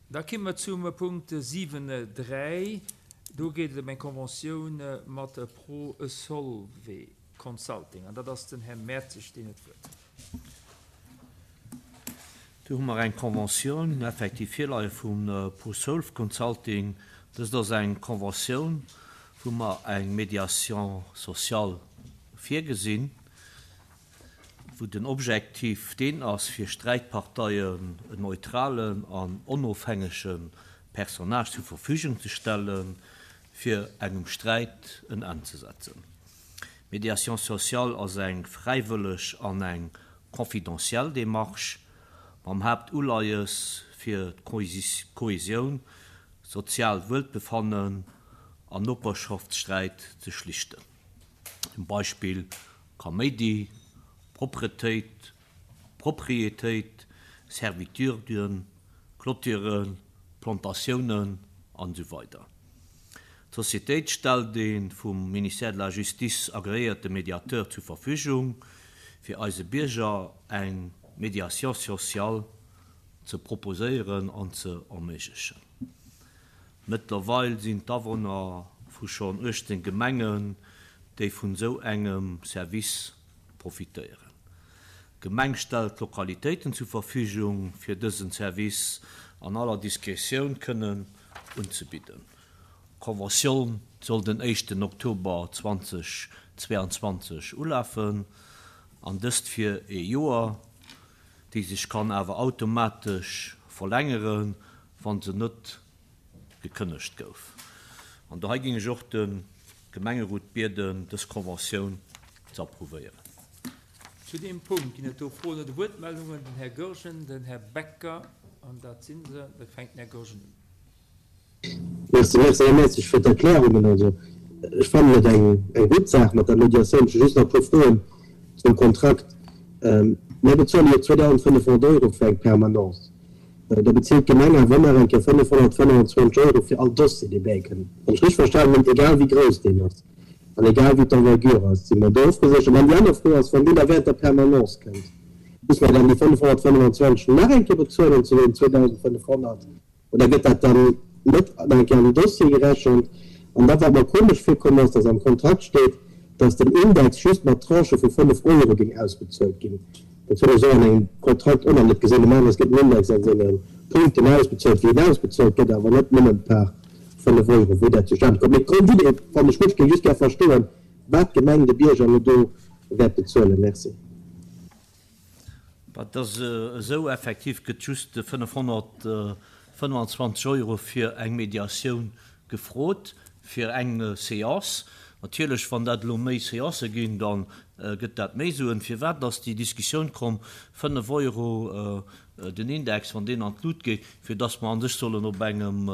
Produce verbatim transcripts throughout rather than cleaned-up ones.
Da komme mer zum Punkt siwen dräi. Do geet et ëm eng Conventioun mat Pro Solve Consulting. An dat ass den Här Mertzig, deen huet d'Wuert. Do hu mer eng Conventioun effektiv virleie vum Pro Solve Consulting. Dëst ass eng Conventioun, wou mer eng Médiation sociale virgesinn, wou den Objektiv deen ass, fir Sträitparteien en neutralen an onofhängege Personnage zur Verfügung ze stellen, fir engem Sträit en Enn ze setzen. Médiation sociale ass eng fräiwëlleg an eng confidentiel Démarche mam Haaptuleies fir d'Kohäsioun, soziaalt Wuelbefannen an Noperschaftssträit ze schlichten. Zum Beispill Kaméidi, Propretéit, Proprietéit, Servituden, Clôturen, Plantatiounen an esou weider. D'Societéit stellt ee vum Ministère de la Justice agreéierte Mediateur zur Verfügung, fir eise Bierger eng Médiation sociale ze proposéieren an ze erméiglechen. Mëttlerweil sinn d'Awunner vu schonn uechtzéng Gemengen, déi vun esou engem Service profitéieren. D'Gemeng stellt Lokalitéiten zur Verfügung, fir dësen Service an aller Diskretioun kënnen unzebidden. D'Conventioun soll den éischten Oktober zweitausendzweiundzwanzeg ulafen, an dëst fir ee Joer, déi sech kann awer automatesch verlängeren, wann se net gekënnegt gouf. An dohei géing ech och de Gemengerot bieden, dës Conventioun ze approuvéieren. Zu deem Punkt ginn et do Froen oder Wuertmeldungen. Den Här Goergen, den Här Becker, an dat sinn se. Da fänkt den Här Goergen un. Merci, merci, Här Mertzig, fir d'Erklärungen. Also, ech fannen et eng, eng gutt Saach mat der Mediatioun. Ech hu just nach e puer Froen zum Kontrakt. Mir bezuele jo zweedausendfënnefhonnert Euro fir eng Permanence. Da bezilt d'Gemeng awer nach eng Kéier fënnefhonnertfënnefenzwanzeg Euro fir all Dossier, dee bäikënnt. Wann ech richteg verstanen hunn, egal wéi grouss deen ass an egal wéi d'Envergure ass, si mer do ofgeséchert. An dann déi aner Fro ass, wann deen da während der Permanence kënnt, muss mer dann déi fënnefhonnertfënnefenzwanzeg nach eng Kéier bezuelen zu den zweedausendfënnefhonnert oder gëtt dat dann net nach eng Kéier an den Dossier gerechent? An da wat mer komesch virkomm ass, dass am Kontrakt steet, dass den Index just mat Tranchë vu fënnef Euro géing ausbezuelt ginn. Dat hunn ech esou an engem Kontrakt och nach net gesinn. Normalerweis gëtt den Index an senge Punkten ausbezuelt, wéi en ausbezuelt gëtt, awer net nëmmen par fënnef Euro, wéi dat zustane komm. Mee d'Grondidee fannen ech gutt. Ech géing just gär verstoen, wat d'Gemeng de Bierger elo do wäert bezuelen. Merci. Dat ass esou, effektiv gëtt just fënnefhonnertfënnefenzwanzeg Euro fir eng Mediatioun gefrot, fir eng Séance. Natierlech, wann dat elo méi Séancë ginn, da gëtt dat méi Suen. Firwat ass déi Diskussioun komm, fënnef Euro den Index, wann deen an d'Lut geet, fir dass mer an sech sollen op engem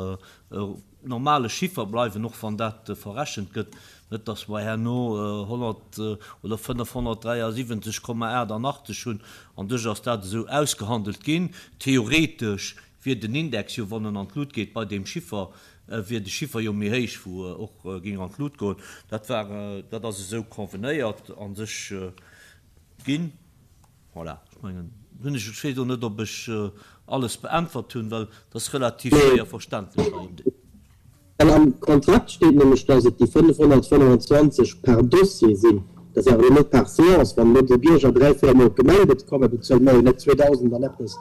normale Chiffer bleiwen, och wann dat verrechent gëtt, net dass mer herno honnert oder fënnefhonnertdräiasiwwenzeg Komma aachtannachtzeg hunn. An sech ass dat esou ausgehandelt ginn. Theoretesch wier den Index jo, wann en an d'Lut geet, bei deem Chiffer, wier de Chiffer jo méi héich, wou och géing an d'Lut goen. Dat war, dat ass esou convenéiert an sech ginn. Voilà, ech mengen, hunn ech, ech weess elo net, ob ech alles beäntwert hunn, well dat ass relativ schwéier verständlech hei. Well am Kontrakt steet nämlech, dass et déi fënnefhonnertfënnefenzwanzeg par Dossier sinn. Dat ass awer elo net par Séance. Wann elo de Bierger dräi, véier Mol op d'Gemeng gëtt kommen, bezuele mer jo net zweedausend an eppes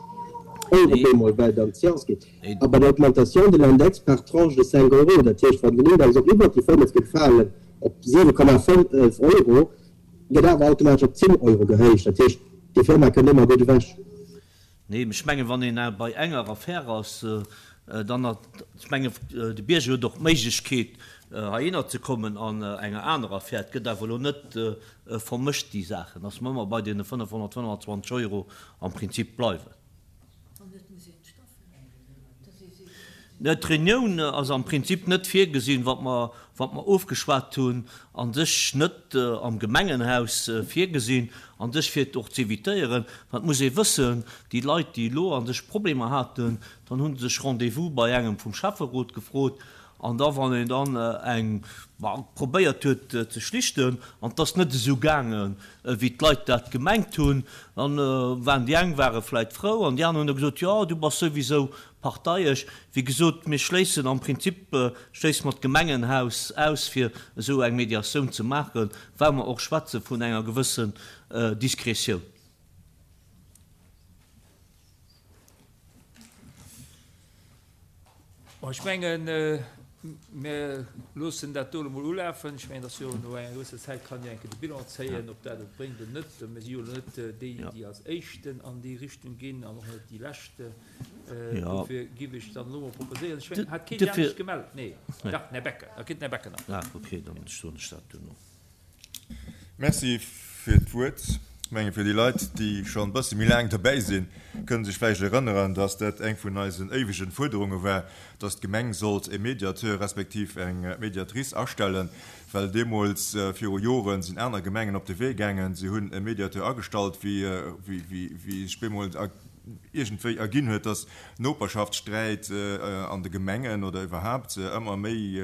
Euro op eemol, well dann d'Séance geet. A bei der Augmentation de l'index par tranche de cinq euros, dat heescht, wann den Index och iwwert déi fënnef géif falen, op siwe Komma fënnef Euro, gëtt awer automatesch op zéng Euro gehéicht. Dat heescht, déi Firma kënnt ëmmer gutt ewech. Nee, ech mengen, wann een bei enger Affär ass, dann hat, ech mengen, de Bierger huet och d'Méiglechkeet, heihinner ze kommen an enger anerer Affär. Et gëtt awer elo net vermëscht, déi Saachen, dass mer ëmmer bei deene fënnefhonnertfënnefenzwanzeg Euro am Prinzip bleiwen. D'Reunioun ass am Prinzip net virgesinn, wat mer, wat mer ofgeschwat hunn, a sech net am Gemengenhaus virgesinn, a sech fir et och z'évitéieren. Wat muss ee wëssen, déi Leit, déi elo a sech Problemer haten, dann hu se sech Rendez-vous bei engem vum Schäfferot gefrot, an da wann een dann eng probéiert huet ze schlichten, an et ass net esou gaangen, wéi d'Leit dat gemengt hunn, dann waren déi eng ware vläicht frou an déi aner hunn da gesot, jo, du bass souwisou parteiesch. Wéi gesot, mir schléissen am Prinzip schléisse mer d'Gemengenhaus aus, fir esou eng Mediatioun ze maachen, well mer och schwätze vun enger gewëssen Diskretioun. Bon, ech mengen, mir loossen dat do elo mol ulafen. Ech mengen, dass jo no enger gewësser Zäit kann jo eng Kéier de Bilan zéien, ob dat et bréngt oder net. Mir si jo elo net déi, déi als Éischten an déi Richtung ginn an och net déi Leschte. Dofir géif ech dann elo mol proposéieren, ech mengen, hat keen anescht gemellt? Nee, dach, den Här Becker. Da kritt den Här Becker nach. Ah, okay, dann soen ech dat duerno. Merci fir d'Wuert. Ech menge fir déi Leit, déi schonn e bësse méi laang derbäi sinn, kënne sech vläicht erënneren, dass dat eng vun eisen éiwegen Fuerderunge war, dass d'Gemeng sollt e Mediateur respektiv eng Mediatrice astellen, well deemools viru Joren sinn aner Gemengen op de Wee gaangen, si hunn e Mediateur agestallt, wéi sech bemol iergendwéi erginn huet, dass Noperschaftssträit an de Gemengen oder iwwerhaapt ëmmer méi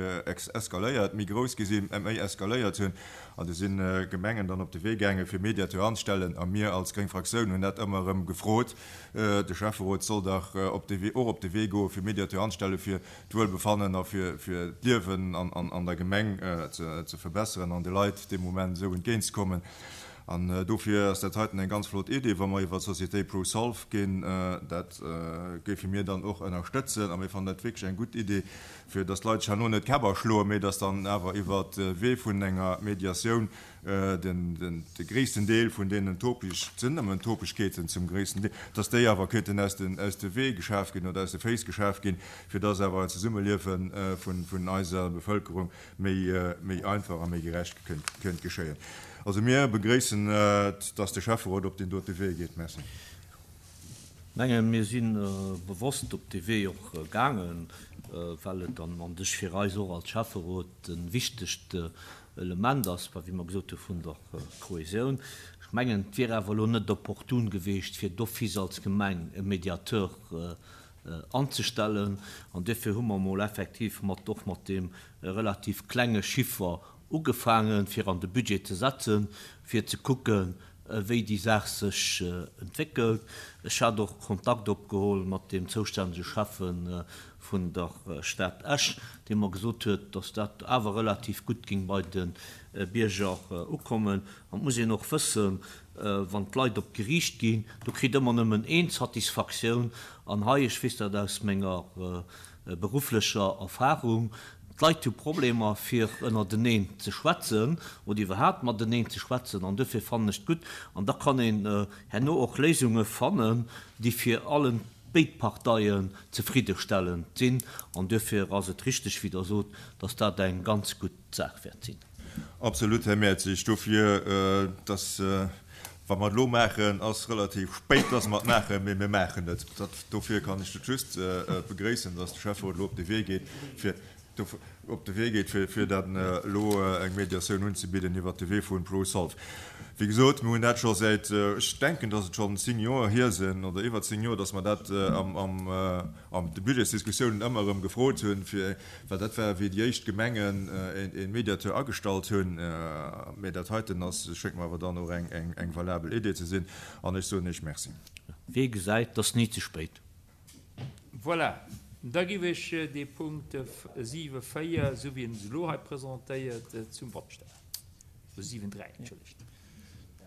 eskaléiert, méi grouss gi sinn, méi eskaléiert hunn. An du si Gemengen dann op de Wee gaangen, fir Mediateur anzestellen. A mir als gréng Fraktioun hunn dat ëmmer erëm gefrot, de Schäfferot soll dach op de Wee, och op de Wee goen, fir Mediateur anzestellen, fir d'Wuelbefannen a fir d'Liewen an der Gemeng ze verbesseren an de Leit dee Moment esou entgéintzekommen. An dofir ass dat heiten eng ganz flott Idee, wa mer iwwer d'Société ProSolve ginn. Dat géife mir dann och ënnerstëtzen. A mir fannen dat wierklech eng gutt Idee, fir dass d'Leit sech herno net d'Käpp aschloen, mee dass dann awer iwwer de Wee vun enger Mediatioun de gréissten Deel vun deenen Topeg, et sinn nëmmen Topegkeeten zum gréissten Deel, dass déi awer kéinten aus de Wee geschaf ginn oder aus de Féiss geschaf ginn, fir dass awer en Zesummeliewe vun eiser Bevëlkerung méi einfach a méi gerecht kéint geschéien. Also mir begréissen et, dass de Schäfferot op deen dote Wee geet. Merci. Mengen, mir si bewosst op dee Wee och gaangen, well et an an sech fir eis och als Schäfferot e wichtegt Element ass, wéi mer gesot hu vun der Kohäsioun. Ech mengen, et wier awer elo net opportun gewiescht, fir d'office als Gemeng e Mediateur anzestellen. An duerfir hu mer emol effektiv mat och mat deem relativ klenge Chiffer ugefaangen, fir an de Budget ze setzen, fir ze kucken, wéi déi Saach sech entwéckelt. Ech hat och Kontakt opgeholl mat deem zoustännege Schäffe vun der Stad Esch, dee mer gesot huet, dass dat awer relativ gutt géing bei de Bierger ukommen. An et muss een och wëssen, wann d'Leit op d'Geriicht ginn, do kritt ëmmer nëmmen een Satisfaktioun. An hei, ech weess dat aus menger berufflecher Erfahrung, d'Leit hu Problemer fir ënnerteneen ze schwätzen oder iwwerhaapt mateneen ze schwätzen an duerfir fannen ech et gutt an da kann een herno och Léisunge fannen, déi fir allen béid Parteien zefriddestellend sinn an duerfir ass et richteg, wéi Der sot, dass dat eng ganz gutt Saach wäert sinn. Absolut, Här Mertzig. Dofir, dass, wa mer et elo maachen, ass relativ spéit, dass mer et maachen, mee mir maachen et. Dat, dofir kann ech et just begréissen, dass de Schäfferot elo op de Wee geet, fir op de Wee geet, fir dann elo eng Mediatioun unzebidden iwwert de Wee vun ProSolve. Wéi gesot, mir hunn dat scho säit, ech denken, dass et schonn zéng Joer hier sinn oder iwwer zéng Joer, dass mer dat an de Budgetsdiskussiounen ëmmer erëm gefrot hunn, fir, well dat war, wéi déi éischt Gemengen e Mediateur agestallt hunn. Mä dat heiten ass, schéngt mer awer dann och eng valabel Idee ze sinn. An ech soen Iech Merci. Wee gesäit, 't ass ni ze spéit. Voilà, da giff ech dee Punkt siwe véier, esou wéi en se elo hei presentéiert, zum Vott stellen. Oder siwen dräi, entschëllegt.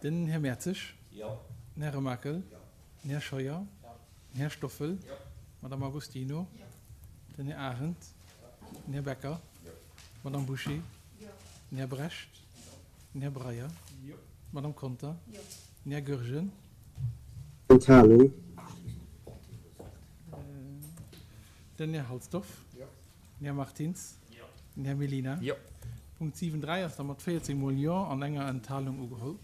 Den Här Mertzig. Jo. Den Här Remakel. Jo. Den Här Scheuer. Jo. Den Här Stoffel. Jo. D'Madame Agostino. Jo. Den Här Arendt. Jo. Den Här Becker. Jo. D'Madame Bouché. Jo. Den Här Brecht. Jo. Den Här Breyer. Jo. D'Madame Conter. Jo. Den Här Goergen. Enthalung. Den Här Halsdorf. Jo. Den Här Martins. Jo. Den Här Mellina. Jo. Punkt siwen dräi ass da mat véierzéng mol Jo an enger Enthalung ugeholl.